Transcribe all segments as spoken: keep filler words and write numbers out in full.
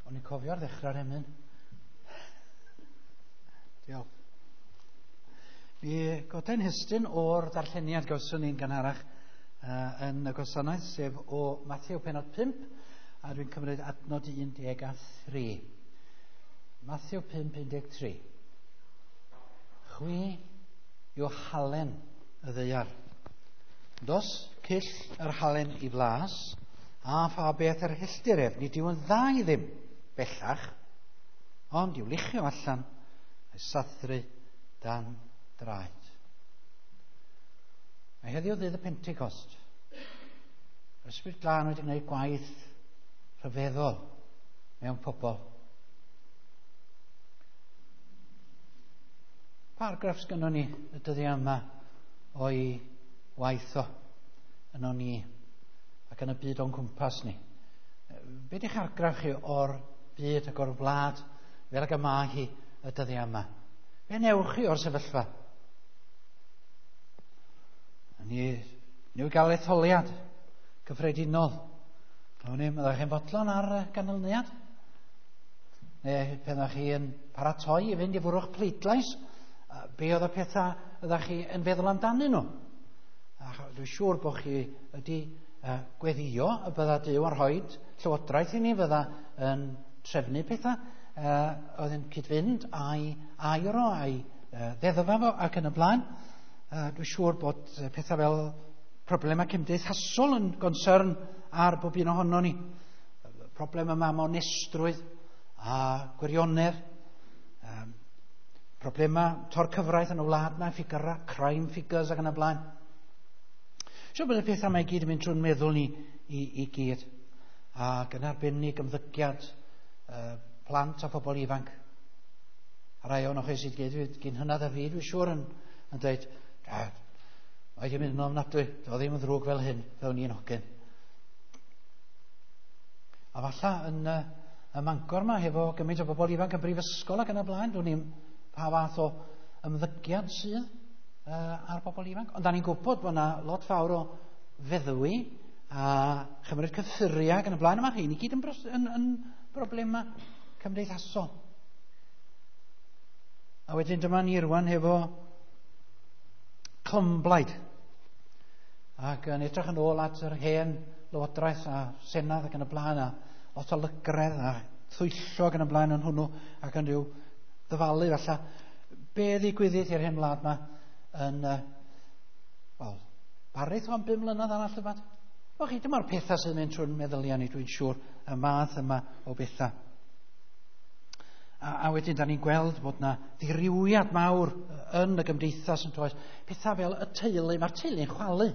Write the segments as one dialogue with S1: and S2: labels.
S1: O'n i'n cofio ar ddechrau'r emyn. Diolch. Mi godain hestyn o'r darlleniad gawson ni'n gynharach uh, yn y gwasanaeth, sef o Mathew pennod pump, a dwi'n cymryd adnod un deg a thri. Mathew pump, un deg tri. Chwi yw halen y ddaear. Dos cyll yr halen i flas, a pha beth yr helltir ef, nid yw yn dda i ddim bellach, ond i'w luchio allan a'i sathru dan draed. Mae heddiw ddydd y Pentecost. Yr Ysbryd Glân wedi gwneud gwaith rhyfeddol mewn pobl. Pa argraff sgynnon ni y dyddiau yma o'i waith o yno ni ac yn y byd o'n cwmpas ni? Be di'ch argraff chi o'r byd ac o'r wlad fel ag y mae hi y dyddiau yma? Be newch chi o'r sefyllfa? Ni newydd gael etholiad cyffredinol. O'n i'n meddwl chi'n fodlon ar ganlyniad? Neu pan ydych chi yn paratoi i fynd i fwrw'ch pleidlais, be oedd y pethau ydych chi yn feddwl amdanyn nhw? A dwi'n siŵr bod chi wedi uh, gweddio y bydda Duw yn rhoi llywodraeth i ni, fydda yn trefnu pethau, uh, oedd yn cyd-fynd a'i air o, a'i uh, ddeddfa fo ac yn y blaen. Uh, dwi'n siŵr bod pethau fel problemau cymdeithasol yn gonsern ar bob un ohono ni. Problem yma am onestrwydd a gwirionedd. Um, problemau tor cyfraith yn y wlad yma, ffigurau, crime figures ac yn y blaen. Siŵr bod y pethau yma i gyd yn mynd trwy'n meddwl ni i, i gyd. Ac yn arbennig ymddygiad uh, plant a phobl ifanc. A rai ohonoch chi sydd gyd gyn hynna a fi, dwi'n siŵr yn, yn dweud, mae wedi mynd yn ofnadwy, doedd ddim yn ddrwg fel hyn, fel ni'n hogyn. A falla yn uh, y Mangor yma, hefo gymaint o bobl ifanc yn brifysgol ac yn y blaen, dwi'n ni'n pa fath o ymddygiad sydd uh, ar bobl ifanc. Ond da ni'n gwybod bod yna lot fawr o feddwi a chymryd cyffuriau ac yn y blaen. Yma rheini gyd yn, bros, yn, yn broblemau cymdeithasol. A wedyn dyma ni rwan hefo clymblaid. Ac yn edrych yn ôl at yr hen lywodraeth a senedd ac yn y blaen, a lot o lygredd a thwyllo ac yn y blaen yn hwnnw ac yn rhyw ddyfalu falle. Be ddigwyddith i'r hen wlad yma yn, uh, wel, barith o'n bum mlynedd arall rhywbeth? Wel chi, dyma'r pethau sy'n mynd trwy'n meddyliau ni, dwi'n siŵr, y math yma o bethau. A, a wedyn, da ni'n gweld bod na ddirywiad mawr yn y gymdeithas yn toes. Pethau fel y teulu, mae'r teulu'n chwalu.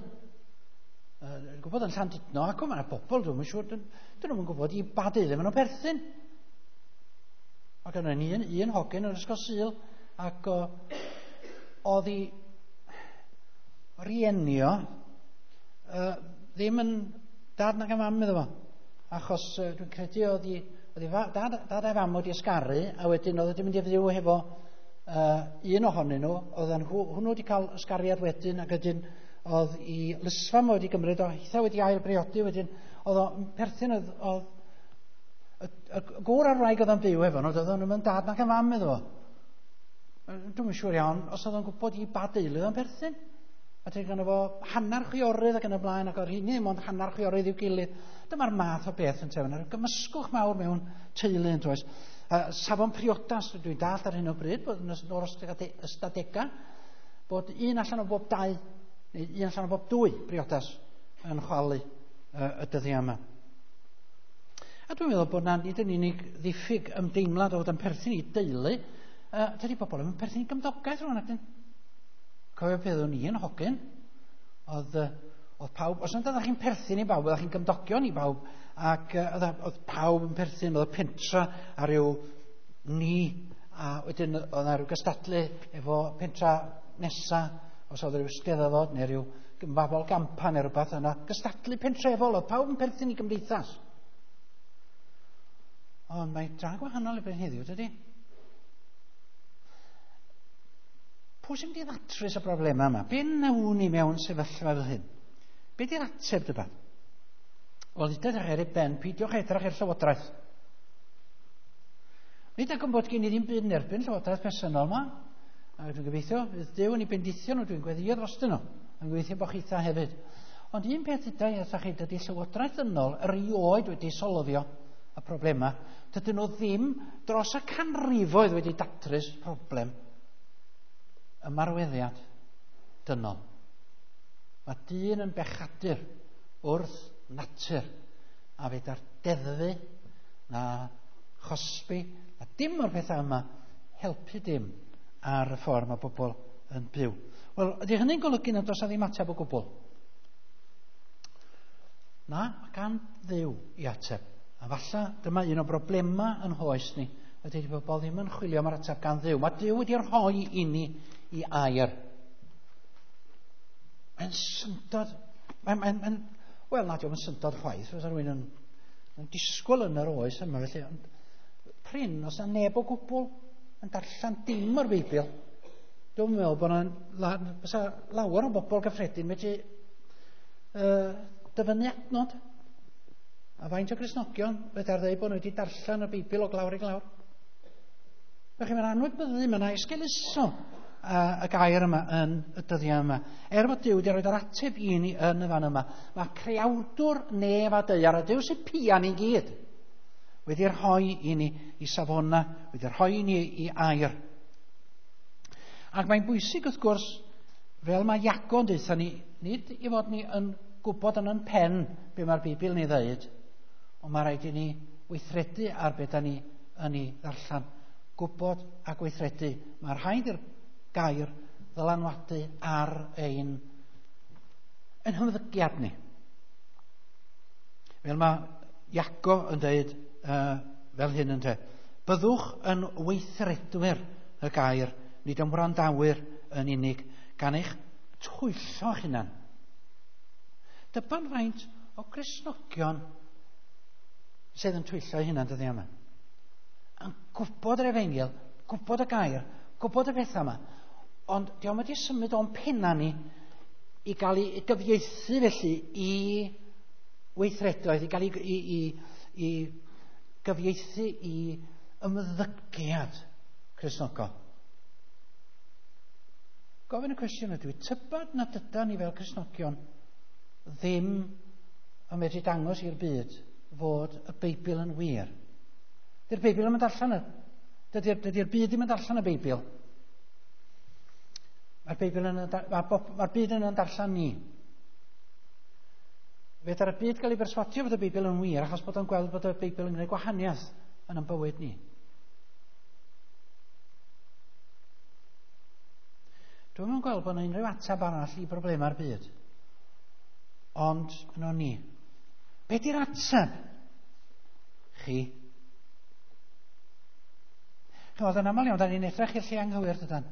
S1: Dwi'n gwybod yn Llandudno, ac mae'na bobl, dwi'n siŵr, dyn, dyn nhw'n gwybod i ba deulu maen nhw'n perthyn. Ac yna ni un, un hogyn yn ysgol Sul, ac o, oedd i rienio uh, ddim yn dad nag y mam iddo fo. Achos uh, dwi'n credu oedd i Oedd ei dad, dad a'i fam wedi ysgaru, a wedyn oedd wedi mynd i fyw hefo uh, un ohonyn nhw. Oedd hwnnw wedi cael ysgariad wedyn, ac wedyn oedd i lysfam wedi gymryd o, hitha wedi ail briodi wedyn. Oedd o'n perthyn, oedd, oedd y, y gŵr a'r wraig oedd o'n byw efo nhw, oedd o'n dad nag y mam iddo fo. Dwi'm yn siŵr iawn os oedd o'n gwybod i ba deulu oedd o'n perthyn. A ti'n gynno fo hanner chwiorydd ac yn y blaen, ac oedd hynny ddim ond hanner chwiorydd i'w gilydd. Dyma'r math o beth yn tewn. A'r gymysgwch mawr mewn teulu yn toes. Uh, safon priodas, dwi'n dallt ar hyn o bryd, bod yn o'r ystadegau, bod un allan o bob dau, neu un allan o bob dwy briodas yn chwalu uh, y dyddiau yma. A dwi'n meddwl bod na nid yn unig ddiffyg ymdeimlad o fod yn perthyn i deulu, uh, dydy bobl yn perthyn i gymdogaeth rhywun ac Cofio beth o'n i yn hogyn, oedd, oedd pawb, os nad oeddech chi'n perthyn i bawb, oeddech chi'n gymdogion i bawb, ac oedd, oedd pawb yn perthyn, oedd y pentra a rhyw ni, a wedyn oedd yna rhyw gystadlu efo pentra nesa, os oedd rhyw steddfod neu rhyw fabol gampa neu rhywbeth yna, gystadlu pentrefol, oedd pawb yn perthyn i gymdeithas. Ond mae dra gwahanol i beth heddiw, dydy? Pwy sy'n mynd i ddatrys y broblemau yma? Be nawn ni mewn sefyllfa fel hyn? Be di'r ateb dyba? Wel, dydych ar ei ben, peidiwch edrych i'r llywodraeth. Nid ac yn bod gen i ddim byd yn erbyn llywodraeth presennol yma. A dwi'n gobeithio, fydd Duw yn ei bendithio nhw, dwi'n gweddio drostyn nhw. Dwi'n gobeithio bod chitha hefyd. Ond un peth ydy wrthach chi, dydy llywodraeth ddynol erioed wedi solfio y problemau. Dydyn nhw ddim dros y canrifoedd wedi datrys problem ymarweddiad dynol. Mae dyn yn bechadur wrth natur a fedar deddfu na chosbi a dim o'r pethau yma helpu dim ar y ffordd mae bobl yn byw. Wel, ydy hynny'n golygu nad oes 'na ddim ateb o gwbl? Na, mae gan Dduw i ateb. A falle dyma un o broblemau yn hoes ni, ydy bobl ddim yn chwilio am yr ateb gan Dduw. Mae Duw wedi rhoi i ni i air. Mae'n syndod. Mae'n, mae'n, mae'n, wel, na, dio'm yn syndod chwaith, fysa rhywun yn, yn disgwyl yn yr oes yma, felly, ond prin, os na neb o gwbl yn darllen dim o'r Beibl. Dwi'n meddwl bod yna fysa lawer o bobl gyffredin medru uh, dyfynnu adnod. A faint o Gristnogion fedar ddeud bod nhw wedi darllen y Beibl o glawr i glawr. Felly mae'n anwybyddu, mae'n esgeuluso y gair yma yn y dyddiau yma. Er bod Duw wedi rhoi yr ateb i ni yn y fan yma, mae creawdwr nef a daear, a Duw sy'n pia ni gyd, wedi rhoi i ni i safona, wedi rhoi i ni i air. Ac mae'n bwysig wrth gwrs, fel mae Iago yn deutha ni, nid i fod ni yn gwybod yn yn pen be mae'r Beibl ni ddeud, ond mae rhaid i ni weithredu ar be da ni yn ei ddarllen. Gwybod a gweithredu. Mae rhaid i'r gair ddylanwadu ar ein, ein hymddygiad ni. Fel mae Iago yn dweud uh, fel hyn yn dweud, byddwch yn weithredwyr y gair, nid yn wrandawyr yn unig, gan eich twyllo eich hunan. Dyba'n faint o Gristnogion sydd yn twyllo eu hunan dyddiau yma. Yn gwybod yr efengyl, gwybod y gair, gwybod y pethau yma, ond dio'm wedi symud o'n penna ni i gael ei gyfieithu felly i weithredoedd, i gael ei, i, i, i gyfieithu i ymddygiad Cristnogol. Gofyn y cwestiwn ydw i, tybad nad ydan ni fel Cristnogion ddim yn medru dangos i'r byd fod y Beibl yn wir. Dydy'r Beibl ddim yn darllen y... Dydy'r, dydy'r byd ddim yn darllen y Beibl. Mae'r Beibl yn, mae'r mae'r byd yn darllen ni. Fedar y byd gael ei berswadio fod y Beibl yn wir achos bod o'n gweld bod y Beibl yn gwneud gwahaniaeth yn ein bywyd ni. Dwi'm yn gweld bod yna unrhyw ateb arall i broblemau'r byd. Ond yno ni. Be di'r ateb? Chi. Chymod, yn aml iawn, da ni'n edrych i'r lle anghywir, dydan.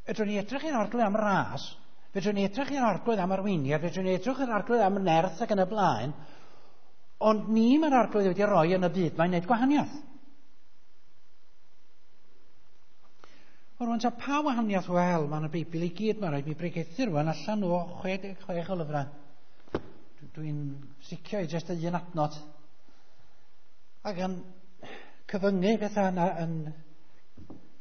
S1: Fedrwn ni edrych i'r Arglwydd am ras, fedrwn ni edrych i'r Arglwydd am arweiniad, fedrwn ni edrych i'r Arglwydd am nerth ac yn y blaen, ond ni mae'r Arglwydd wedi rhoi yn y byd, mae'n gwneud gwahaniaeth. O rwan, ta pa wahaniaeth? Wel, mae'n y Beibl i gyd, mae'n rhaid mi bregethu rwan allan o chwe deg chwech o lyfrau. Dwi'n sticio i jyst un adnod. Ac yn cyfyngu pethau yna, yn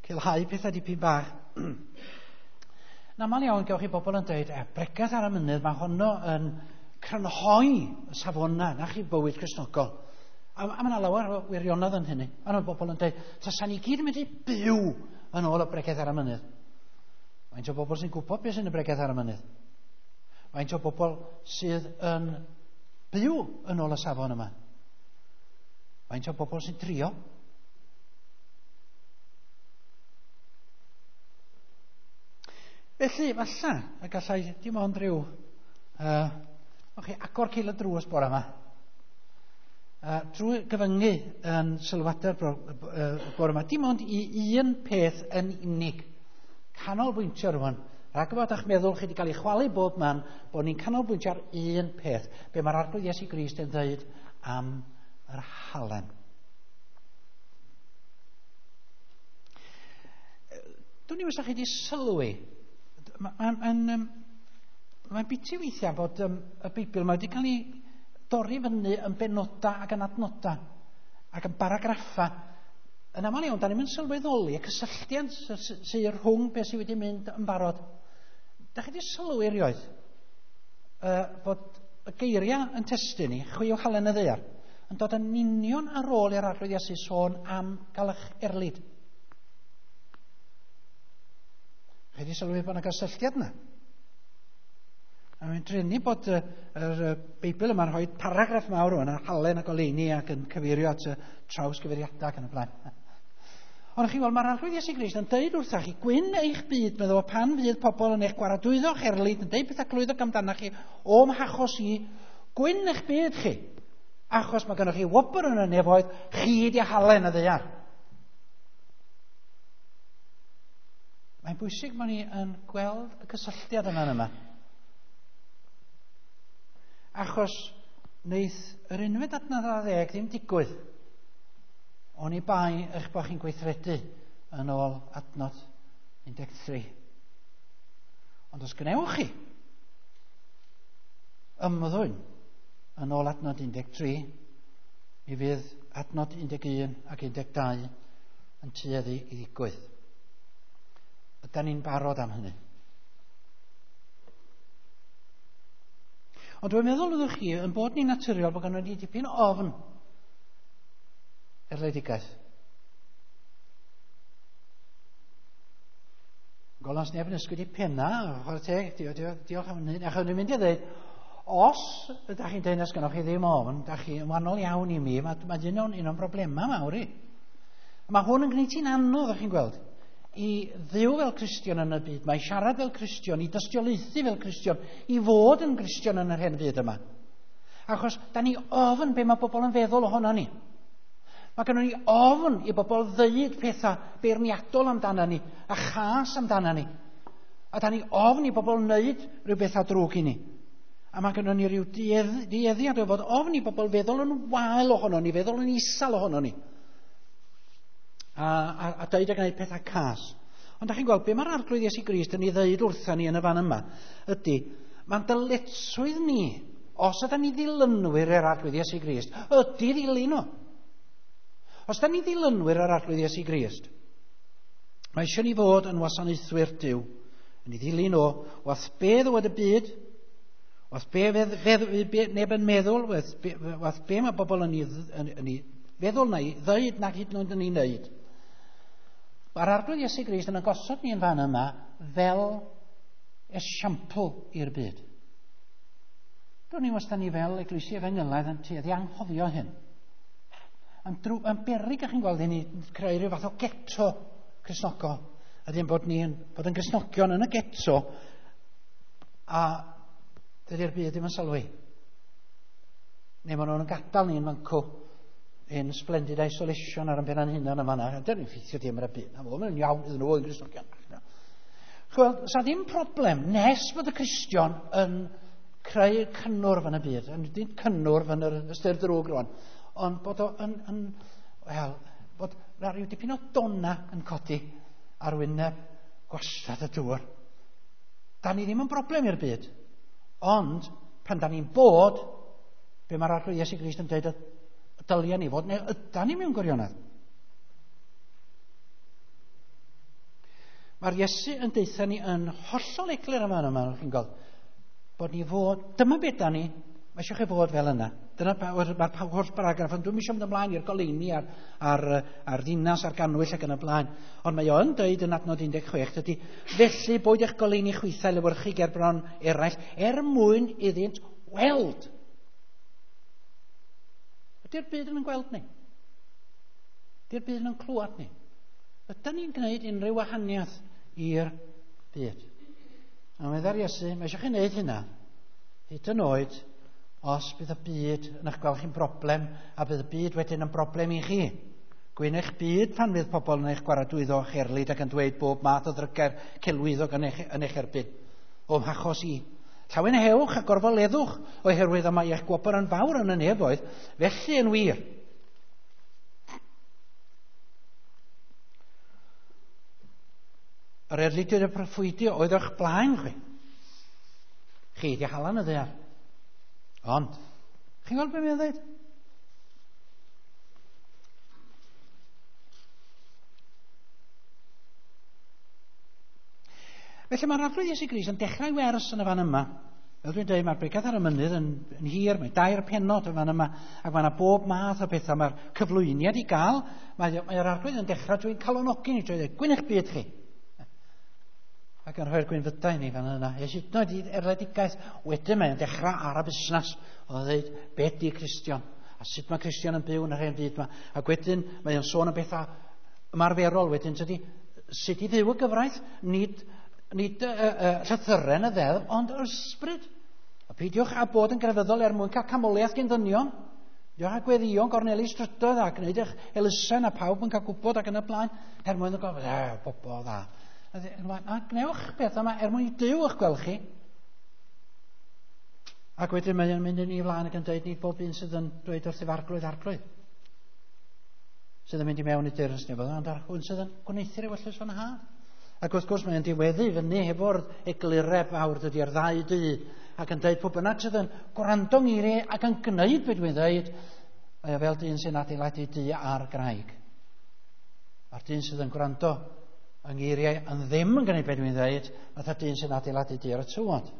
S1: cilhau pethau dipyn bach. Yn aml iawn, gewch chi bobl yn dweud, e, bregath ar y mynydd, mae honno yn crynhoi y safonau, na chi bywyd Cristnogol. A, a mae yna lawer o wirionedd yn hynny. Mae yna bobl yn dweud, tasa ni gyd yn mynd i byw yn ôl y bregath ar y mynydd. Faint o bobl sy'n gwybod beth sy'n y bregath ar y mynydd? Faint o bobl sydd yn byw yn ôl y safon yma? Faint o bobl sy'n trio? Felly, falle, y gallai dim ond rhyw uh, okay, agor cil y drws bore yma. Uh, drwy gyfyngu yn sylwadau'r bore yma, dim ond i un peth yn unig. Canolbwyntio rwan. Rhag fod eich meddwl chi wedi cael ei chwalu bob man, bod ni'n canolbwyntio ar un peth. Be mae'r Arglwydd Iesu Grist yn dweud am yr halen. Dwi'n i os chi wedi sylwi. Mae'n ma, ma, ma biti weithiau bod um, y Beibl mae wedi cael ei dorri fyny yn benodau ac yn adnodau. Ac yn baragraffa, yn aml iawn, da ni'n mynd sylweddoli y cysylltiad sydd rhwng beth sydd wedi mynd yn barod. Da chi wedi sylwi erioed uh, bod y geiriau yn testun ni, chwi o halen y ddaear, yn dod yn union ar ôl i'r Arglwydd Iesu sôn am gael eich erlid. Chi wedi sylwi bod yna gysylltiad yna? A mae'n drueni bod y, yr Beibl yma'n rhoi paragraff mawr o'n halen a goleuni ac yn cyfeirio at y trawsgyfeiriadau ac yn y blaen. Ond chi'n gweld, mae'r Arglwydd Iesu Grist yn deud wrthach chi, gwyn eich byd, meddwl, pan fydd pobl yn eich gwaradwyddo'ch erlid, yn deud pethau clwyddog amdanach chi, o'm hachos i, gwyn eich byd chi, achos mae gennych chi wobr yn y nefoedd, chi di halen y ddaear. Mae'n bwysig bod ni yn gweld y cysylltiad yma yma. Achos wneith yr unfed adnod ar ddeg ddim digwydd oni bai eich bod chi'n gweithredu yn ôl adnod un deg tri. Ond os gwnewch chi ymddwyn yn ôl adnod un deg tri, mi fydd adnod un deg un ac un deg dau yn tueddu i ddigwydd. Ydan ni'n barod am hynny? Ond dwi'n meddwl ydych chi yn bod ni'n naturiol bod gynnon ni dipyn o ofn erledigaeth. Golans neb yn ysgwyd i penna, chwarae teg, diolch am hynny. Achos dwi'n mynd i ddweud, os ydych chi'n dweud nas gynnoch chi ddim ofn, ydych chi yn wahanol iawn i mi, mae, mae un o'n, un o'n broblemau mawr i. Mae hwn yn gwneud ti'n anodd, ydych chi'n gweld, i ddyw fel Cristion yn y byd, mae siarad fel Cristion, i dystiolaethu fel Cristion, i fod yn Gristion yn yr hen fyd yma. Achos da ni ofn be mae bobl yn feddwl ohono ni. Mae gennym ni ofn i bobl ddeud pethau beirniadol amdano ni, a chas amdano ni. A da ni ofn i bobl wneud rhyw bethau drwg i ni. A mae gennym ni rhyw dueddiad o fod ofn i bobl feddwl yn wael ohono ni, feddwl yn isel ohono ni. A, a, a deud a gwneud pethau cas. Ond da chi'n gweld, be mae'r Arglwydd Iesu Grist yn ei ddeud wrtha ni yn y fan yma, ydy, mae'n dyletswydd ni, os ydyn ni ddilynwyr yr Arglwydd Iesu Grist, ydy ddilyn o. Os ydyn ni ddilynwyr yr Arglwydd Iesu Grist, mae eisiau ni fod yn wasanaethwyr Duw, yn ei ddilyn o, wath be ddywed y byd, wath be, fedd, fedd, be neb yn meddwl, wath be, wath be mae bobl yn ei, yn, yn ei feddwl na i ddeud nag hyd yn oed yn ei wneud. Mae'r Arglwydd Iesu Grist yn gosod ni yn fan yma fel esiampl i'r byd. Dwi'n ni wastad ni fel eglwysi efengylaidd yn tueddu anghofio hyn. Yn, drw, yn beryg ych chi'n gweld i ni creu rhyw fath o geto Cristnogol. A ddim bod ni'n bod yn Gristnogion yn y geto a dydy'r byd ddim yn sylwi. Neu maen nhw'n gadael ni'n fancw in splendid isolation ar yn ben ein hunan yma. Dyn ni'n ffeithio dim ar y byd. Na, mae'n iawn iddyn nhw yn Gristnogion. Chwel, sa ddim problem nes bod y Cristion yn creu cynnwrf yn y byd. Yn ddim cynnwrf yn yr ystyr drwg rwan. Ond bod o yn, yn wel, bod rhyw dipyn o donna yn codi ar wyneb gwastad y dŵr. Da ni ddim yn broblem i'r byd. Ond, pan da ni'n bod, be mae'r Arglwydd Iesu Grist yn dweud dylia ni fod, neu ydan ni mewn gwirionedd. Mae'r Iesu yn deutha ni yn hollol eglur yma yma, chi'n gweld, bod ni fod, dyma beth da ni, mae eisiau chi fod fel yna. Dyna mae'r holl paragraff, ond dwi'm eisiau mynd ymlaen i'r goleuni a'r, ar, ar ddinas a'r ganwyll ac yn y blaen. Ond mae o yn dweud yn adnod un deg chwech, dydy, felly boed eich goleuni chwithau lewyrchu ger bron eraill, er mwyn iddynt weld. Ydy'r byd yn gweld ni? Ydy'r byd yn clywed ni? Ydy ni'n gwneud unrhyw wahaniaeth i'r byd? A meddai'r Iesu, mae eisiau chi wneud hynna, hyd yn oed os bydd y byd yn eich gweld chi'n broblem, a bydd y byd wedyn yn broblem i chi. Gwyn eich byd pan fydd pobl yn eich gwaradwyddo o'ch erlid ac yn dweud bob math o ddrygair celwyddog yn eich, yn eich erbyn. O'm hachos i. Llawenhewch a gorfoleddwch oherwydd y mae eich gwobr yn fawr yn y nefoedd, felly yn wir. Yr erlidiwyd y proffwydi oedd o'ch blaen chwi. Chi di halan y ddaear. Ond, chi'n gweld beth mae'n dweud? Felly mae'r Arglwydd Iesu Grist yn dechrau wers yn y fan yma. Fel dwi'n dweud, mae'r bregath ar y mynydd yn, yn hir, mae dair penod yn fan yma, ac mae yna bob math o bethau. Mae'r cyflwyniad i gael, mae'r mae Arglwydd yn dechrau drwy'n calonogi ni, drwy ddweud, gwyn eich byd chi. Ac yn rhoi'r gwynfydau ni fan yna. Hyd yn oed i erledigaeth, wedyn mae'n dechrau ar y busnes. Oedd yn dweud, be di Cristion? A sut mae Cristion yn byw yn yr hen byd yma? Ac wedyn mae'n sôn am bethau ymarferol wedyn, tydi, sut i fyw y gyfraith, nid, nid uh, uh, llythyren y ddeddf, ond yr ysbryd. A peidiwch â bod yn grefyddol er mwyn cael camoliaeth gen ddynion. Peidiwch â gweddïo'n gorneli strydoedd a gwneud eich elusen a pawb yn cael gwybod ac yn y blaen, er mwyn y gofyn, e, bobl dda. A gnewch beth yma er mwyn i Duw eich gweld chi. Ac wedyn mae'n mynd yn ei flaen ac yn dweud nid bob un sydd yn dweud wrth ei Arglwydd, Arglwydd, sydd yn mynd i mewn i deyrnas nefoedd, ond ar hwn sydd yn gwneuthur ewyllys fy nhad. Ac wrth gwrs mae'n diweddu fyny hefo'r eglureb fawr dydy ar ddau dŷ, ac yn dweud pwy bynnag sydd yn gwrando ngeiriau ac yn gwneud beth dwi'n dweud, mae o fel dyn sy'n adeiladu dŷ ar graig. A'r dyn sydd yn gwrando yng ngeiriau yn ddim yn gwneud beth dwi'n dweud, fatha dyn sy'n adeiladu dŷ ar y tywod.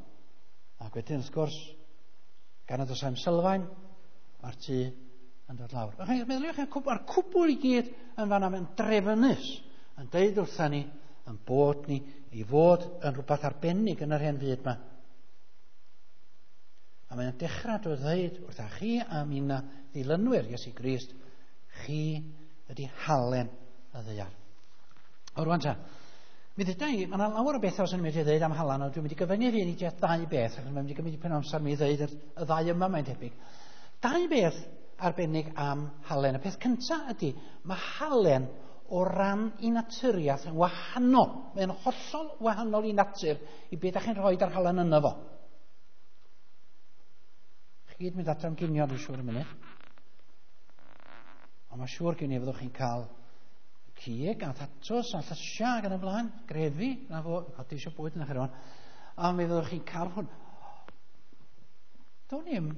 S1: Ac wedyn wrth gwrs, gan nad oes am sylfaen, mae'r tŷ yn dod lawr. Meddyliwch, mae'r cwbl i gyd yn fanna yn drefnus, yn deud wrtha ni, yn bod ni i fod yn rhywbeth arbennig yn yr hen fyd yma. A mae'n dechrau drwy ddweud wrtha chi a minna ddilynwyr Iesu Grist, chi ydy halen y ddaear. O rwan ta, mi ddeuda i, mae yna lawer o bethau sy'n mynd i ddweud am halan, ond dwi'n mynd i gyfyngu fi i tua dau beth, achos mae'n mynd i gymryd dipyn o amser mi ddweud y, y ddau yma mae'n tebyg. Dau beth arbennig am halen. Y peth cyntaf ydy, mae halen o ran i naturiaeth yn wahanol. Mae'n hollol wahanol i natur i beth ydych chi'n rhoi ar halen yno fo. Chi gyd mynd adra am ginio, dwi'n siŵr y munud. Ond mae'n siŵr gen i fyddwch chi'n cael cig a thatws a llysiau ac yn y blaen, grefi, na fo, codi eisiau bwyd yn eich rwan. A mi fyddwch chi'n cael hwn. Do'n i'm,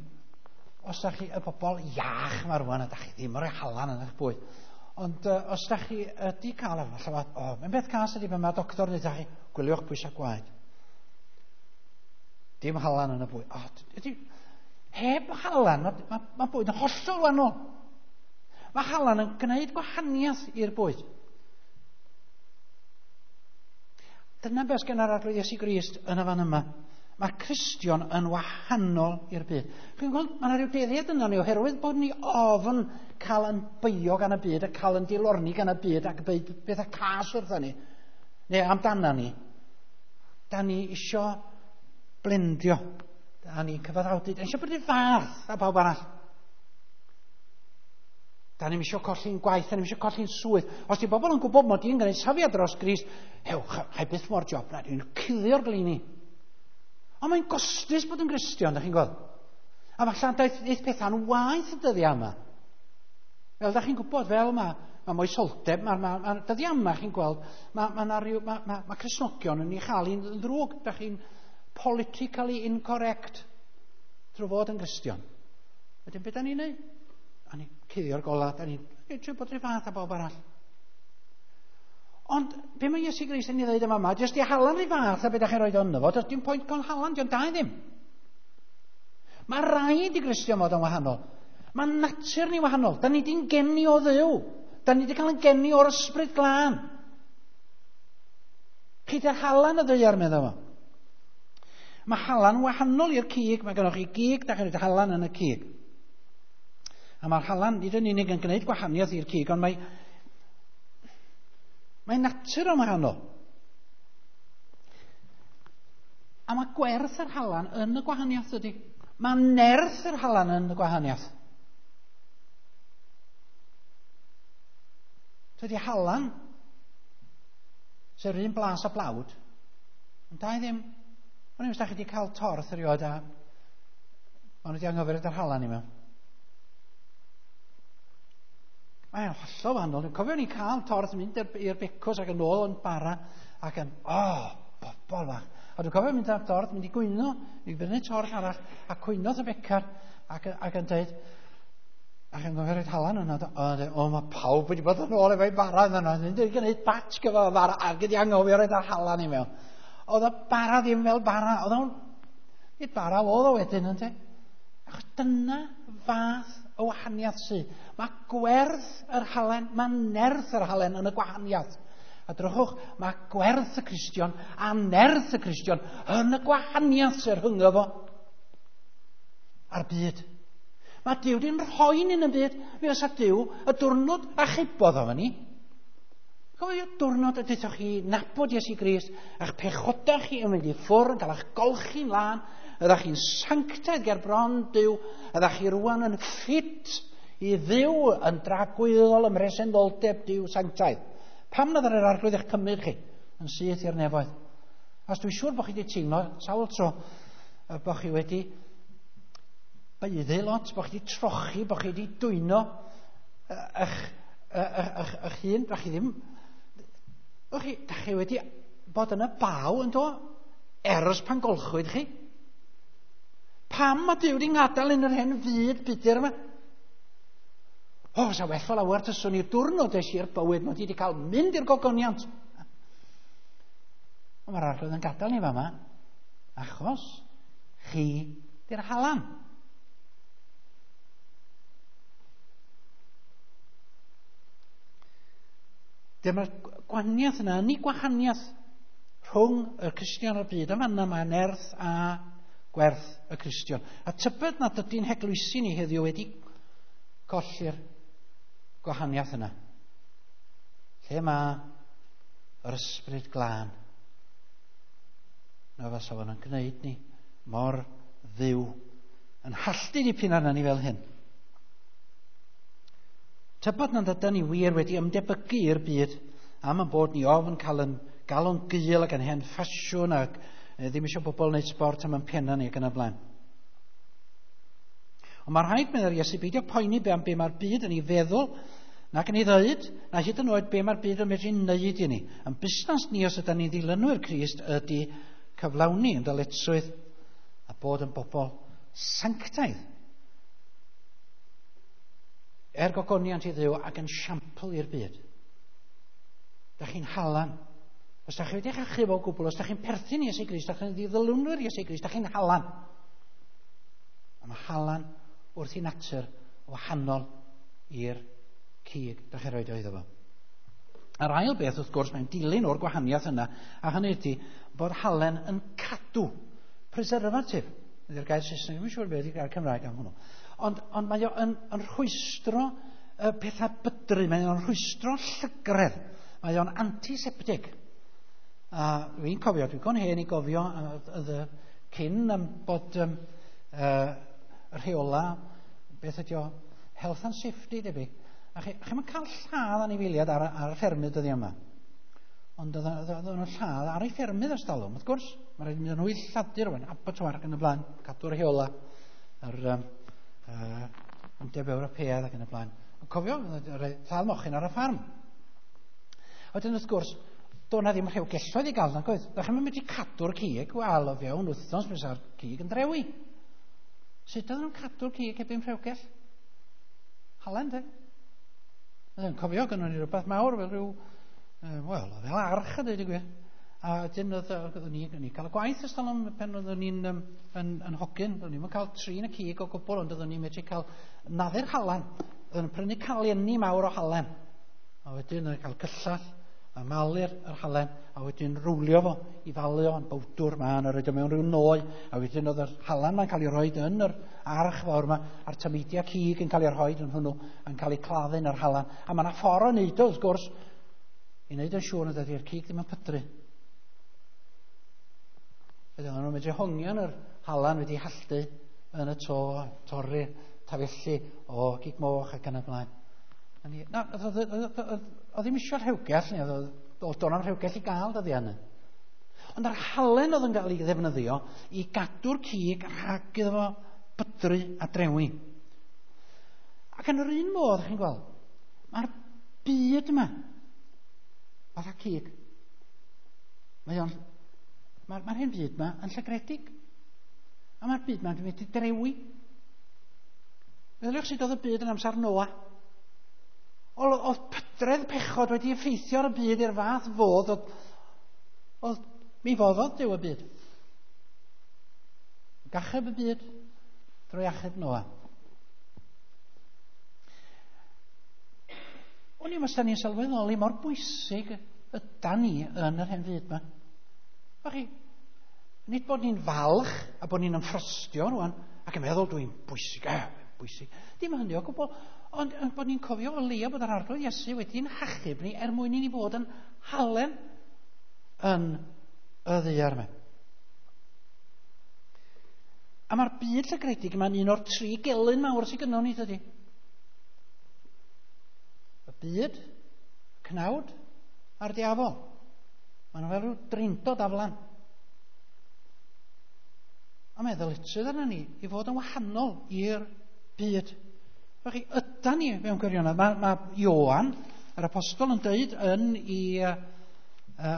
S1: os da chi y bobl iach yma rwan, a da chi ddim yn rhoi halan yn eich bwyd. Ond uh, os da chi ydi cael, falle, o, oh, mae'n beth cas ydi pan mae doctor yn dweud chi, gwyliwch pwysau gwaed. Dim halan yn y bwyd. O, ydi, heb halan, mae ma, ma bwyd yn hollol wahanol. Mae halan yn gwneud gwahaniaeth i'r bwyd. Dyna beth gen yr Arglwydd Iesu Grist yn y fan yma. Mae Cristion yn wahanol i'r byd. Chi'n gweld, mae yna rhyw dueddiad yno ni oherwydd bod ni ofn cael yn beio gan y byd a cael yn dilorni gan y byd ac byd bethau cas wrtha ni, neu amdana ni. Da ni isio blendio. Da ni'n cyfaddawdu. Da ni isio bod yn fath a pawb arall. Da ni'n isio colli'n gwaith, da ni'n isio colli'n swydd. Os di bobl yn gwybod mod i'n gwneud safiad dros Grist, hew, hai byth mo'r job na, dwi'n cuddio'r glini. Ond mae'n gostus bod yn Gristion, da chi'n gweld. A falle daeth, daeth pethau'n waeth y dyddiau yma. Fel da chi'n gwybod, fel mae, mae moesoldeb, mae, mae, mae dyddiau yma chi'n gweld, mae, mae, ma, ryw, mae, mae, mae Cristnogion yn ei chael hi'n ddrwg. Da chi'n politically incorrect drwy fod yn Gristion. Wedyn, beth da ni'n neud? A ni'n cuddio'r gola, da ni'n trio bod rhyw fath a bob arall. Ond, be mae Iesu Grist yn ei ddweud yma yma, jyst i halan rhyw fath a beth da chi'n rhoi ynddo fo, does dim pwynt cael halan, dio'n da i ddim. Mae rhaid i Gristion fod yn wahanol. Mae natur ni wahanol. Da ni di'n geni o Dduw. Da ni di cael yn geni o'r ysbryd glân. Chi di'r halan y ddaear, meddwl fo. Mae halan wahanol i'r cig. Mae gennych chi gig, da chi'n rhoi halan yn y cig. A mae'r halan nid yn unig yn gwneud gwahaniaeth i'r cig, ond mae, mae natur o'n wahanol. A mae gwerth yr halan yn y gwahaniaeth ydy. Mae nerth yr halan yn y gwahaniaeth. Dydy halan, sef yr un blas a blawd, ond da i ddim. O'n i'n da chi wedi cael torth erioed a maen nhw wedi anghofio yr halan i mewn. Mae'n hollol wahanol. Dwi'n cofio ni cael torth mynd i'r becws ac yn ôl yn bara ac yn, o, oh, bobol fach. A dwi'n cofio mynd ar dorth, mynd i gwyno, i brynu torth arall, a cwynodd y becar ac, ac yn dweud, ac yn gofio rhaid halan yna, o, o, mae pawb wedi bod yn ôl efo'i bara yna, mynd i gwneud batch gyda fara ac wedi anghofio rhaid ar halan i mewn. Oedd y bara ddim fel bara. Oedd o'n... Nid bara oedd o wedyn, ynddo? Achos dyna fath o wahaniaeth sydd. Mae gwerth yr halen, mae nerth yr halen yn y gwahaniaeth. A drychwch, mae gwerth y Cristion a nerth y Cristion yn y gwahaniaeth sy'n rhyngddo fo a'r byd. Mae Duw di'n rhoi ni'n y byd. Mi fysa Duw y diwrnod achubodd o ni. Cofio diwrnod y deuthoch chi nabod Iesu Grist, a'ch pechodau chi yn mynd i ffwrdd, yn cael eich golchi'n lân, ydych chi'n sanctaidd ger bron Duw, ydych chi rwan yn ffit i ddiw yn dragwyddol ym mhresenoldeb Duw sanctaidd. Pam nad yr Arglwydd eich cymryd chi yn syth i'r nefoedd? Os dwi'n siŵr bod chi wedi teimlo sawl tro bod chi wedi baeddu lot, bod chi wedi trochi, bod chi wedi dwyno eich, eich, eich, eich hun, da chi ddim... Chi, da chi wedi bod yn y baw yn do, ers pan golchwyd chi. Pam mae Duw wedi ngadael yn yr hen fyd budur yma? O, fysa well o lawer tyswn i'r diwrnod es i'r bywyd, mae wedi cael mynd i'r gogoniant. Ond mae'r Arglwydd yn gadael ni fama, achos chi di'r halan. Dyma'r gwahaniaeth yna, ni gwahaniaeth rhwng y Cristion a'r byd. Yma yna mae nerth a gwerth y Cristion. A tybed nad ydy'n heglwysi ni heddiw wedi colli'r gwahaniaeth yna. Lle mae yr ysbryd glân? Na fysa fo'n gwneud ni mor ddiw yn halltu dipyn arna ni fel hyn. Tybed nad ydyn ni wir wedi ymdebygu i'r byd am y bod ni ofn cael yn galon gul ac yn hen ffasiwn ac ddim eisiau bobl wneud sbort am yn penna ni ac yn y blaen. Ond mae rhaid, meddwl Iesu, beidio poeni be am be mae'r byd yn ei feddwl nac yn ei ddweud, na hyd yn oed be mae'r byd yn medru wneud i ni. Yn busnes ni os ydyn ni'n ddilynwyr Crist ydy cyflawni yn dyletswydd a bod yn bobl sanctaidd. Er gogoniant i Dduw ac yn siampl i'r byd. Da chi'n halan. Os da chi wedi eich achub o gwbl, os da chi'n perthyn i Iesu Grist, da chi'n ddilynwyr Iesu Grist, da chi'n halan. A mae halan wrth i natur wahanol i'r cig da chi'n rhoi iddo fo. A'r ail beth, wrth gwrs, mae'n dilyn o'r gwahaniaeth yna, a hynny ydy bod halen yn cadw, preservative. Ydy'r gair Saesneg, ddim yn siŵr beth ydy'r gair Cymraeg am hwnnw. Ond, ond mae o yn, yn rhwystro uh, pethau bydru, mae o'n rhwystro llygredd, mae o'n antiseptig. A dwi'n cofio, dwi'n gon hen i gofio uh, cyn um, bod um, uh, rheola, beth ydy o, health and safety debyg. A chi, chi'm yn cael lladd anifeiliaid ar, ar y ffermydd dyddiau yma. Ond oedden nhw'n lladd ar eu ffermydd ers talwm, wrth gwrs. Mae'n rhaid mynd nhw i lladur rwan, abattoir ac yn y blaen, cadw'r rheola, yr um, uh, Undeb Ewropeaidd ac yn y blaen. Ond cofio, lladd mochyn ar y ffarm. A wedyn wrth gwrs, doedd na ddim rhewgelloedd i gael, nag oedd. Da chi'n mynd i cadw'r cig, wel, o fewn wythnos fysa'r cig yn drewi. Sut oedden nhw'n cadw'r cig heb un rhewgell? Halen, de? Yn cofio, gynnon ni rhywbeth mawr fel rhyw, wel, fel arch a dweud y gwir. A wedyn oeddwn ni, ni cael y gwaith ers talwm pan oeddwn ni'n um, yn, yn hogyn. Oeddwn ni'n cael trin y cig o gwbl, ond oeddwn ni'n medru cael naddu'r halen. Oeddwn ni'n prynu calienni mawr o halen. A wedyn oeddwn ni'n cael cyllall a malu'r yr halen, a wedyn rwlio fo i falu o yn bowdwr ma, a roed o mewn rhyw noi, a wedyn oedd yr halen ma'n cael ei roed yn yr arch fawr yma, a'r tameidiau cig yn cael ei rhoed yn hwnnw, yn cael ei claddu yn yr halen. A mae yna ffordd o wneud o, wrth gwrs, i wneud yn siŵr nad ydy'r cig ddim yn pydru. Wedyn oedden nhw'n medru hongian yr halen wedi halltu yn y to, torri tafelli o gig moch ac yn y blaen. Na, oedd ddim eisiau rhewgell, oedd do'n am rhewgell i gael dyddiau yna. Ond yr halen oedd yn cael ei ddefnyddio i gadw'r cig rhag iddo fo bydru a drewi. Ac yn yr un modd, chi'n gweld, mae'r byd yma, fatha cig, mae o'n, mae'r mae hyn byd yma yn llygredig. A mae'r byd yma'n mynd i drewi. Meddyliwch sut oedd y byd yn amser Noa. Oedd pydredd pechod wedi effeithio ar y byd i'r fath fodd, oedd, oedd Mi foddodd Duw y byd. Gachub y byd drwy achub Noa. O'n i'n os da ni'n sylweddoli mor bwysig ydan ni yn yr hen fyd yma. Chi, nid bod ni'n falch a bod ni'n ymffrostio rwan ac yn meddwl dwi'n bwysig, eh, bwysig. Dim hynny o gwbl, ond bod ni'n cofio o leia bod yr Arglwydd Iesu wedi'n hachub ni er mwyn i ni fod yn halen yn y ddaear yma. A mae'r byd llygredig yma'n un o'r tri gelyn mawr sydd gynnon ni, dydy. Y byd, y cnawd a'r diafol. Maen nhw fel rhyw drindod aflan. A mae ddyletswydd arna ni i fod yn wahanol i'r byd. Felly, ydan ni mewn gwirionedd. Mae, mae Ioan, yr apostol, yn dweud yn i uh,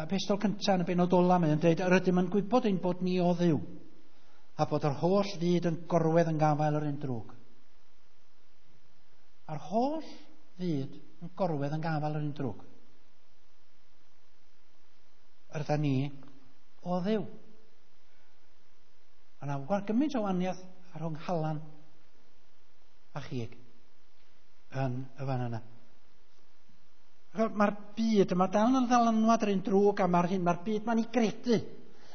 S1: epistol cyntaf yn y benod ola, mae'n dweud, yr ydym yn gwybod ein bod ni o Dduw, a bod yr holl fyd yn gorwedd yn gafael yr un drwg. A'r holl fyd yn gorwedd yn gafael yr un drwg. Yr ydyn ni o Dduw. A na gymaint o wahaniaeth rhwng halan a chig yn y fan yna. Mae'r byd yma dal yn ddylanwad yr un drwg a mae'r hyn, mae'r byd ma'n ei gredu.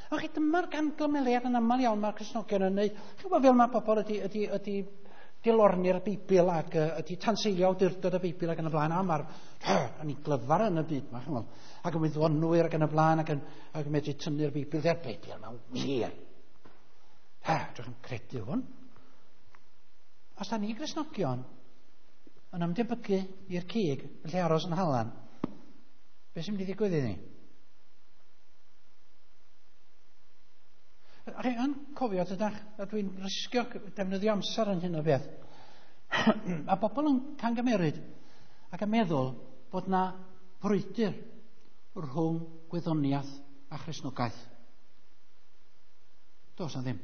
S1: A chi, dyma'r gamgymeriad yn aml iawn mae'r Cristnogion yn neud. Chi'n gwybod fel mae pobl ydy, ydy, ydy dilorni'r Beibl ac ydy tanseilio awdurdod y Beibl ac yn y blaen. A mae'r, yn ei glyfar yn y byd yma, chi'n gwybod. Ac yn wyddonwyr ac yn y blaen ac yn, ac yn medru tynnu'r Beibl. Dde'r Beibl yma'n wir. Ha, dwi'n credu hwn. Os da ni Gristnogion yn ymdebygu i'r cig yn lle aros yn halan, beth sy'n mynd i ddigwydd i ni? A chi yn cofio, dydach, a dwi'n risgio defnyddio amser yn hyn o beth. A bobl yn camgymeryd ac yn meddwl bod na frwydr rhwng gwyddoniaeth a Christnogaeth. Does na ddim.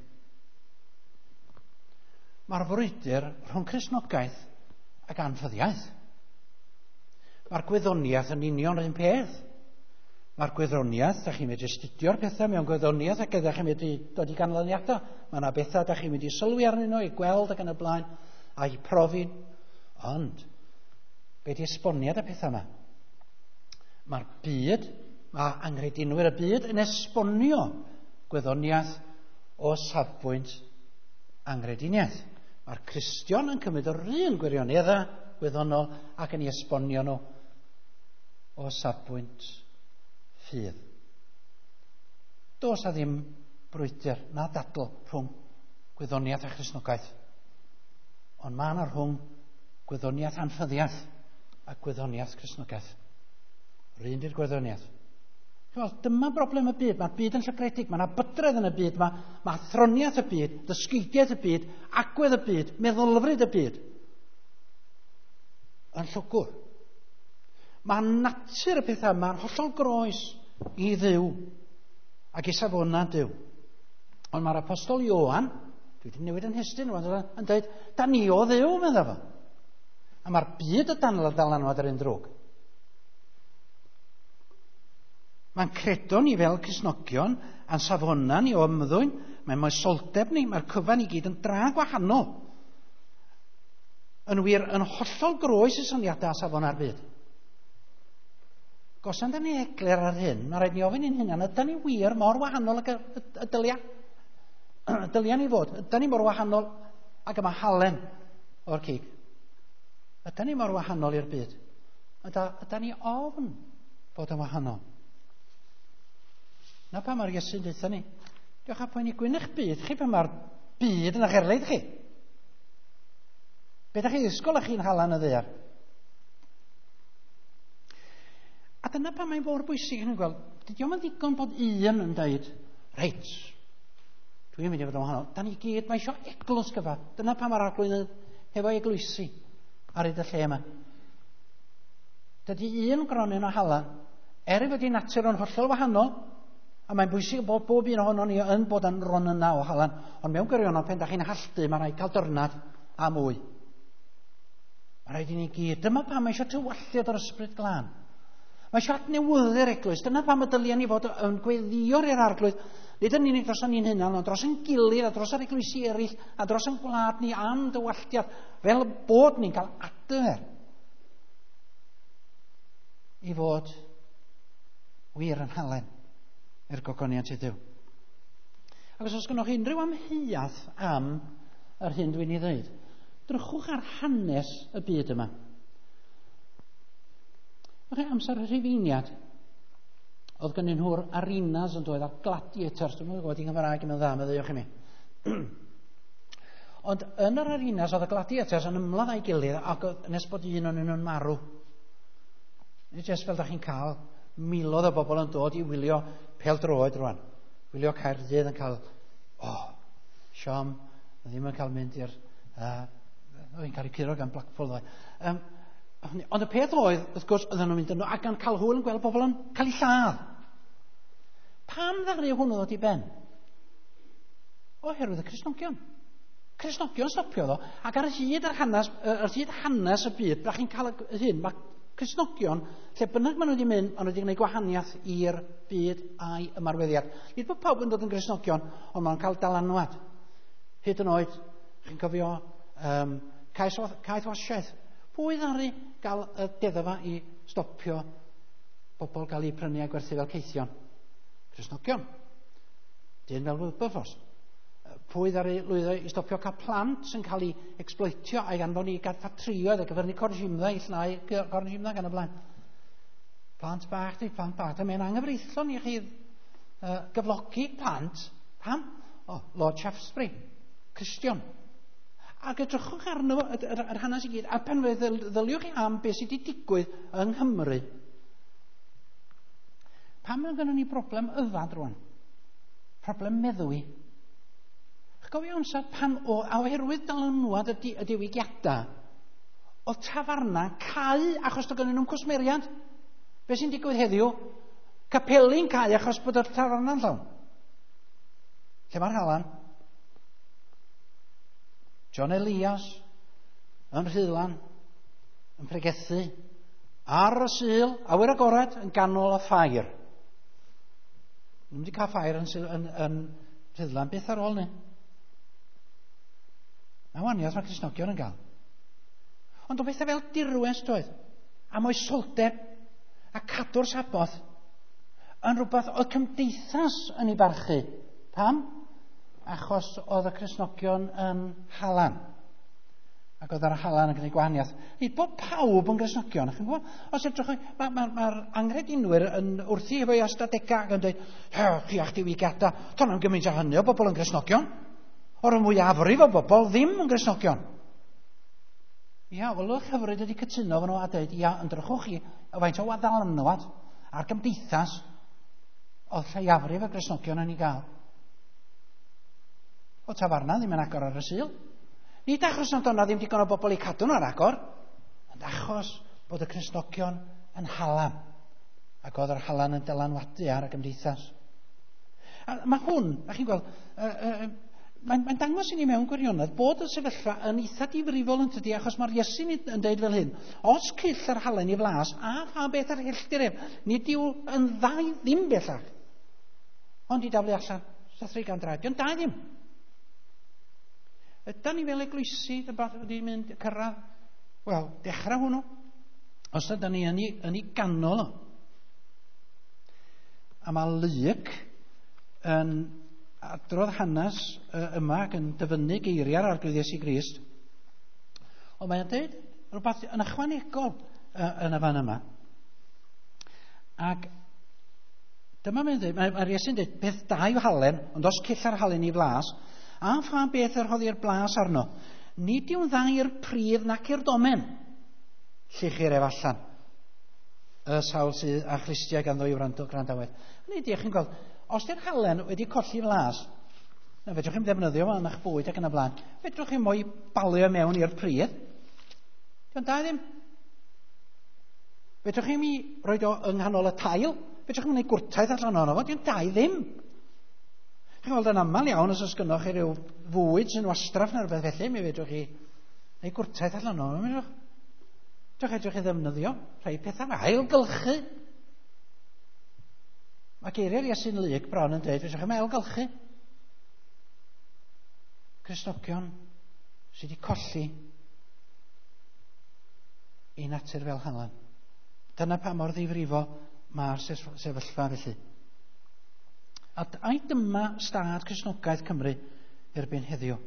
S1: Mae'r frwydr rhwng Cristnogaeth ac anffyddiaeth. Mae'r gwyddoniaeth yn union yr un peth. Mae'r gwyddoniaeth, da chi'n medru astudio'r pethau mewn gwyddoniaeth ac ydych chi'n medru dod i ganlyniadau. Mae yna bethau da chi'n mynd i sylwi arnyn nhw, i gweld ac yn y blaen, a i profi. Ond, be di esboniad y pethau yma? Mae'r byd, mae anghredinwyr y byd yn esbonio gwyddoniaeth o safbwynt anghrediniaeth. Mae'r Cristion yn cymryd yr un gwirioneddau gwyddonol ac yn ei esbonio nhw o safbwynt ffydd. Does a ddim brwydr na dadl rhwng gwyddoniaeth a Christnogaeth. Ond mae yna rhwng gwyddoniaeth anffyddiaeth a gwyddoniaeth Cristnogaeth. Yr un di'r gwyddoniaeth. Dyma broblem y byd. Mae'r byd yn llygredig. Mae yna bydredd yn y byd. Mae, mae athroniaeth y byd, dysgeidiaeth y byd, agwedd y byd, meddylfryd y byd yn llwgwr. Mae natur y pethau yma'n hollol groes i Dduw ac i safonau Duw. Ond mae'r apostol Ioan, dwi wedi newid yn hestyn, yn dweud, da ni o Dduw, medda fo. A mae'r byd y dan ddylanwad yr un drwg. Mae'n credo ni fel Cristnogion, a'n safonau ni o ymddwyn, mae'n moesoldeb ni, mae'r cyfan i gyd yn dra gwahanol. Yn wir, yn hollol groes i syniadau a safonau'r byd. Gosan da ni eglur ar hyn, mae rhaid ni ofyn i'n hunan, ydan ni wir mor wahanol ag y, y, y dylia? Y dylia ni fod, ydan ni mor wahanol ag yma halen o'r cig? Ydan ni mor wahanol i'r byd? Yda, ydan ni ofn bod yn wahanol? Na pa mae'r Iesu'n deutha ni. Diolch a poeni gwyn eich byd chi pan mae'r byd yn eich erlid chi. Be da chi ddisgwyl â chi'n halan y ddaear? A dyna pan mae'n mor bwysig yn gweld, dydy o'm yn ddigon bod un yn dweud, reit, dwi'n mynd i fod yn wahanol. Da ni gyd, mae eisiau eglwys gyfa. Dyna pan mae'r Arglwydd hefo eglwysi ar hyd y lle yma. Dydy un gronyn o halan, er ei fod ei natur yn hollol wahanol, a mae'n bwysig bod bob un ohonon ni yn bod yn ronyna o halan, ond mewn gwirionedd pan da chi'n halltu, mae rhaid cael dyrnad a mwy. Mae rhaid i ni gyd. Dyma pam mae eisiau tywalliad o'r ysbryd glân. Mae eisiau adnewyddu'r eglwys. Dyna pam y dyliau ni fod yn gweddïo i'r Arglwydd, nid yn unig dros ni'n hunan, ond dros yn gilydd a dros yr eglwysi eraill a dros yn gwlad ni am dywalltiad, fel bod ni'n cael adfer i fod wir yn halen i'r gogoniant i Dduw. Ac os oes gennych chi unrhyw amheuaeth am yr hyn dwi'n ei ddweud, drychwch ar hanes y byd yma. O'ch amser y Rhufeiniad, oedd gennyn nhw'r arenas yn dod a'r gladiators, dwi'n gwybod i'n Gymraeg yn dda, meddaiwch i mi. Ond yn yr arenas oedd y gladiators yn ymladd â'i gilydd ac nes bod un o'n nhw'n marw. Nid jyst fel da chi'n cael miloedd o bobl yn dod i wylio pêl-droed rwan. Wylio Caerdydd yn cael, oh, siom, ddim yn cael mynd i'r... Uh, oedd hi'n cael ei curo gan Blackpool ddoe. Um, ond y peth oedd, wrth gwrs, oedden nhw'n mynd yno ac yn cael hwyl yn gweld bobl yn cael eu lladd. Pam ddaru hwnnw ddod i ben? Oherwydd y Cristnogion. Cristnogion stopiodd o, ac ar hyd yr hanes, ar hyd hanes y byd, da chi'n cael y hyn, mae Cristnogion, lle bynnag maen nhw wedi mynd, maen nhw wedi gwneud gwahaniaeth i'r byd a'i ymarweddiad. Nid bod pawb yn dod yn Gristnogion, ond maen nhw'n cael dylanwad. Hyd yn oed, chi'n cofio um, caethwasiaeth. Pwy ddaru gael y deddfa i stopio bobl gael eu prynu a gwerthu fel caethion? Cristnogion. Dyn fel Wilberforce. Pwy ddaru lwyddo i stopio cael plant sy'n cael ei exploitio a'i anfon i gael ffatrïoedd a gyfer ni corsimdda i llnau corsimdda gan y blaen. Plant bach, di plant bach. Mae'n anghyfreithlon i chi uh, gyflogi plant. Pam? O, oh, Lord Shaftesbury, Cristion. Ac edrychwch arno fo, yr, yr hanes i gyd, a pan fe ddyliwch chi am beth sydd wedi digwydd yng Nghymru. Pam mae gennym ni broblem yfad rwan? Problem meddwi. Chi'n gofio amser pan o, a oherwydd dylanwad y, di, y diwygiadau, oedd tafarna cau achos doedd gennyn nhw'n cwsmeriad. Be sy'n digwydd heddiw? Capeli'n cau achos bod y tafarna'n llawn. Lle mae'r halan? John Elias yn Rhuddlan yn pregethu ar y Sul, awyr agored, yn ganol y ffair. Nhw'n wedi cael ffair yn, yn, yn Rhuddlan byth ar ôl ni. Na waniaeth mae Cristnogion yn gael. Ond o bethau fel dirwest oedd, a moesoldeb, a cadw'r Saboth, yn rhywbeth oedd cymdeithas yn ei barchu. Pam? Achos oedd y Cristnogion yn halan. Ac oedd yr halan yn gwneud gwahaniaeth. Nid bod pawb yn Gristnogion. Chi'n gwybod? Os edrych, mae'r ma, ma, ma anghredinwyr yn wrthi efo'i ystadegau ac yn dweud, chi a'ch diwygiadau, do'n am gymaint o hynny o bobl yn Gristnogion. O'r mwyafrif o bobl ddim yn Gristnogion. Ia, wel, y hyfryd ydy cytuno efo nhw a dweud, ia, ymdrychwch chi, faint o ddylanwad a'r gymdeithas oedd lleiafrif y Gristnogion yn ei gael. O tafarna ddim yn agor ar y Sul. Nid achos nad o'na ddim digon o bobl i cadw nhw ar agor, ond achos bod y Cristnogion yn halan. Ac oedd yr halan yn dylanwadu ar y gymdeithas. A mae hwn, a chi'n gweld, uh, uh, mae'n mae dangos i ni mewn gwirionedd bod y sefyllfa yn eitha difrifol yn tydi, achos mae'r Iesu'n yn dweud fel hyn, os cyll yr halen i flas, a pha beth ar helltir ef, nid yw yn dda i ddim bellach. Ond i daflu allan, sathru gan draed, dio'n da i ddim. Ydan ni fel eglwysi wedi mynd cyrraedd? Wel, dechrau hwnnw. Os ydan ni yn ei, yn ei ganol o. A mae Luc yn adrodd hanes yma ac yn dyfynnu geiriau'r Arglwydd Iesu Grist. Ond mae'n dweud rhywbeth yn ychwanegol yn y fan yma. Ac dyma mae'n dweud, mae'r Iesu'n dweud, beth da yw halen, ond os cyll ar halen i flas, a pha beth yr rhoddi'r blas arno, nid yw'n dda i'r pridd nac i'r domen. Lluchir ef allan. Y sawl sydd â chlustiau ganddo i wrando gwrandawedd. Nid ydych chi'n gweld, os di'r halen wedi colli flas, na fedrwch chi'n ddefnyddio fo yn eich bwyd ac yn y blaen, fedrwch chi mo'i balio mewn i'r pridd. Dio'n da ddim. Fedrwch chi'n mi roed o yng nghanol y tail, fedrwch chi'n gwneud gwrtaith allan ohono fo, dio'n da i ddim. Chi'n gweld yn aml iawn os oes gynnoch chi ryw fwyd sy'n wastraff neu rhywbeth felly, mi fedrwch chi neu gwrtaith allan ohono fo, fedrwch. Dewch edrych i ddefnyddio rhai pethau ailgylchu. Mae geiriau'r Iesu'n Lug bron yn dweud, fedrwch chi'm ailgylchu. Cristnogion sydd wedi colli i natur fel halen. Dyna pa mor ddifrifol mae'r sefyllfa felly. A ai dyma stad Cristnogaeth Cymru erbyn heddiw?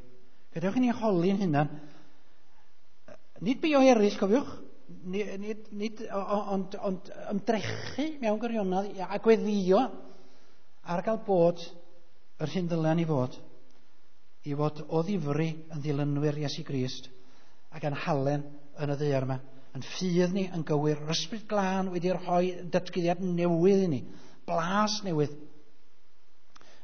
S1: Gadewch i ni holi'n hunan. Nid beio eraill, cofiwch, nid, nid, nid, ond, ond ymdrechu mewn gwirionedd a gweddio ar gael bod yr hyn ddylen ni fod, i fod o ddifri yn ddilynwyr Iesu Grist ac yn halen yn y ddaear yma, yn ffydd ni yn gywir, yr Ysbryd Glân wedi rhoi datguddiad newydd i ni, blas newydd,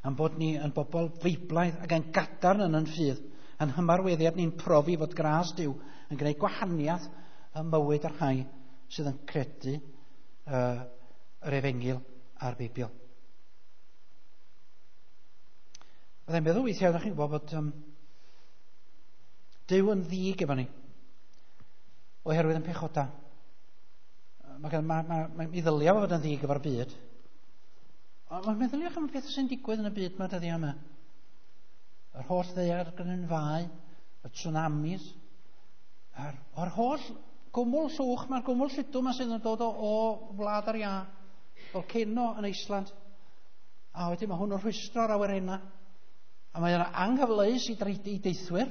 S1: am bod ni yn bobl feiblaidd ac yn gadarn yn yn ffydd, yn hymarweddiad ni'n profi fod gras Duw yn gwneud gwahaniaeth ym mywyd yr rhai sydd yn credu uh, yr Efengyl a'r Beibl. Byddai'n meddwl weithiau, ydych chi'n gwybod bod um, Duw yn ddig efo ni, oherwydd yn pechoda. Mae, mae, mae, mae, mi ddylia fod yn ddig efo'r byd. Ond mae'n meddyliwch am y pethau sy'n digwydd yn y byd yma dyddiau yma. Yr holl ddaear grynfau, y tsunamis, a'r, o'r holl gwmwl llwch, mae'r gwmwl lludw yma sydd yn dod o, o wlad ar iâ, volcano yn Iceland. A wedyn mae hwn yn rhwystro'r awyrennau. A mae yna anghyfleus i, i deithwyr,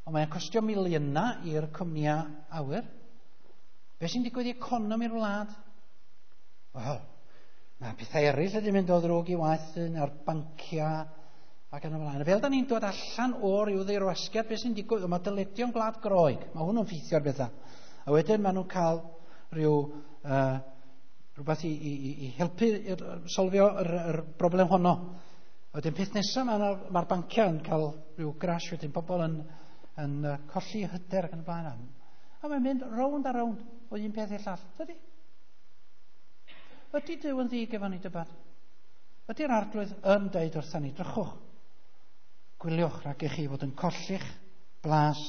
S1: ond mae'n costio miliynau i'r cwmnïau awyr. Be sy'n digwydd i economi'r wlad? Wel, mae pethau eraill ydy mynd o ddrwg i waith a'r banciau ac yn y blaen. Fel da ni'n dod allan o ryw ddirwasgiad, beth sy'n digwydd? Mae dyledion Gwlad Groeg, mae hwnnw'n ffeithio'r bethau. A wedyn maen nhw'n cael rhyw, uh, rhywbeth i, i, i helpu solfio yr, yr broblem honno. A wedyn peth nesaf, mae'r ma banciau yn cael rhyw crash, wedyn pobl yn, yn colli hyder ac yn y blaen. A mae'n mynd rownd a rownd o un peth i'r llall. Dydy? Ydy Duw yn ddig efo ni dybad? Ydy'r Arglwydd yn deud wrthyn ni, drychwch, gwyliwch rhag i chi fod yn colli'ch blas.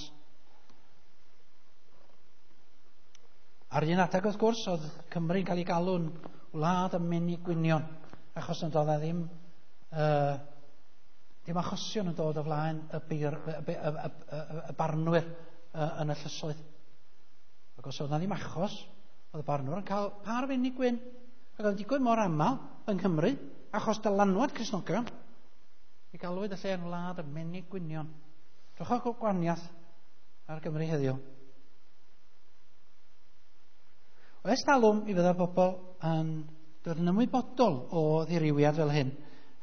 S1: Ar un adeg wrth gwrs, oedd Cymru'n cael ei galw'n wlad y menig gwynion, achos yn dod ddim, uh, ddim achosion yn dod o flaen y, bir, y, y, y, y, y barnwyr uh, yn y llysoedd. Ac os oedd na ddim achos, oedd y barnwr yn cael par fenig gwyn. Ac oedd yn digwydd mor aml yng Nghymru, achos dylanwad Cristnogion, i galwyd y lle yn wlad y menig gwynion. Drychwch gwahaniaeth ar Gymru heddiw. O ers talwm i fydda bobl yn dod yn ymwybodol o ddirywiad fel hyn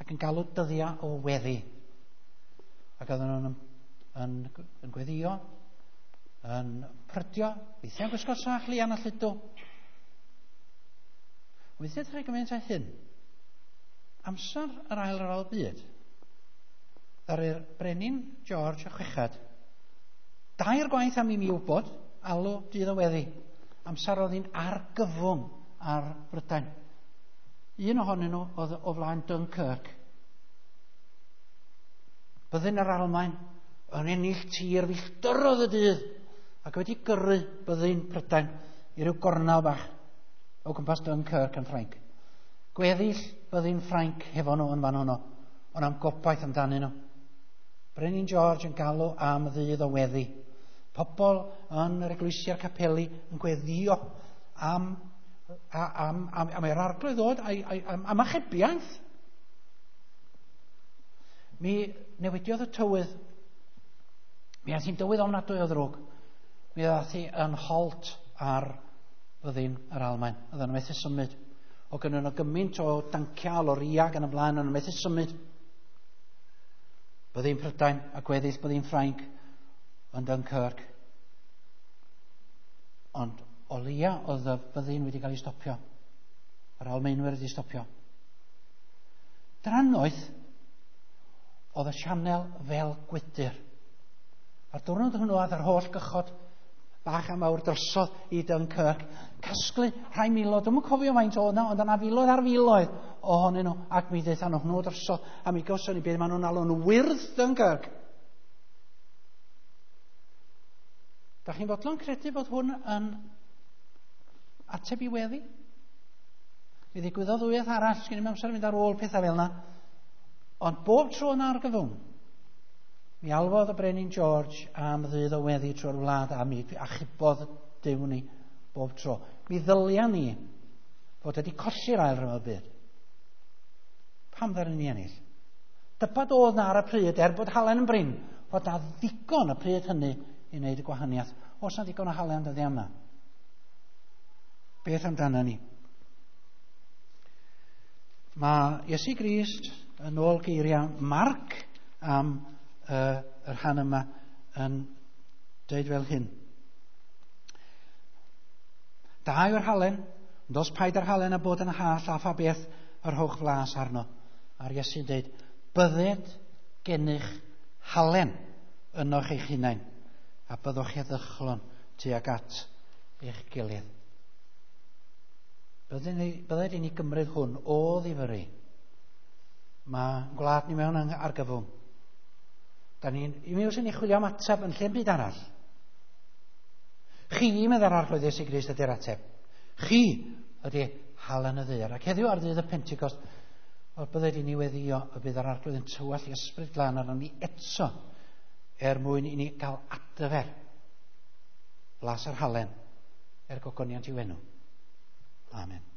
S1: ac yn galw dyddiau o weddi. Ac oedden nhw'n yn, yn, yn gweddio, yn prydio, weithiau'n gwisgo sach lian a lludw. Weithiau ydych chi'n gymaint â hyn. Amser yr Ail Ryfel Byd, ddaru'r brenin George y Chweched, dair gwaith am i mi wybod, alw dydd o weddi. Amser oedd hi'n argyfwng ar Brydain. Un ohonyn nhw oedd o flaen Dunkirk. Byddin yr Almaen yn ennill tir filltiroedd y dydd ac wedi gyrru byddin Prydain i ryw gornel bach o gwmpas Dunkirk yn Ffrainc. Gweddill byddin Ffrainc hefo nhw yn fan honno, ond am gobaith amdanyn nhw. Brenin George yn galw am ddydd o weddi. Pobl yn yr eglwysi a'r capeli yn gweddio am, am, am, am yr Arglwydd ddod, am, am achubiaeth. Mi newidiodd y tywydd. Mi aeth hi'n dywydd ofnadwy o ddrwg. Mi ddaeth hi yn hollt ar fyddin yr Almaen. Oedden nhw methu symud. O gynnyn nhw gymaint o danciau, lorïau ac yn y blaen, oedden nhw methu symud. Byddin Prydain a gweddill byddin Ffrainc yn Dunkirk. Ond o leia oedd y byddin wedi cael ei stopio. Yr Almaenwyr wedi stopio. Drannoeth oedd y sianel fel gwydr. A'r diwrnod hwnnw oedd yr holl gychod bach a mawr drosodd i Dunkirk. Casglu rhai miloedd, dwi'm yn cofio faint oedd yna, ond yna filoedd ar filoedd ohonyn nhw, ac mi ddaethon nhw drosodd, a mi gawson ni beth maen nhw'n alw'n wyrdd Dunkirk. Da chi'n fodlon credu bod hwn yn ateb i weddi? Mi ddigwyddodd ddwywaith arall, sgen i'm amser i fynd ar ôl pethau fel yna. Ond bob tro yna argyfwng, mi alwodd y Brenin George am ddydd o weddi trwy'r wlad a mi achubodd Duw ni bob tro. Mi ddylia ni fod wedi colli'r ail ryfel byd. Pam ddaru ni ennill? Dybad oedd na ar y pryd, er bod halen yn brin, fod na ddigon y pryd hynny i wneud y gwahaniaeth. Oes na ddigon o halen dyddiau yma? Beth amdano ni? Mae Iesu Grist yn ôl geiriau Marc am uh, y rhan yma yn dweud fel hyn. Da yw'r halen, ond os paid â'r halen a bod yn hallt a pha beth yr rhowch flas arno. A'r Iesu'n dweud, bydded gennych halen ynoch eich hunain, a byddwch heddychlon tuag at eich gilydd. Bydded i ni gymryd hwn o ddifyru. Mae gwlad ni mewn argyfwng. Da ni'n, i mi wrth i ni chwilio am ateb yn lle'n byd arall. Chi, meddai'r Arglwydd Iesu Grist, ydy'r ateb. Chi ydy halen y ddaear. Ac heddiw ar ddydd y Pentecost, wel, bydded i ni weddio y bydd yr Arglwydd yn tywallt ei ysbryd glân arnon ni eto er mwyn i ni gael adfer blas yr halen er gogoniant i'w enw. Amen.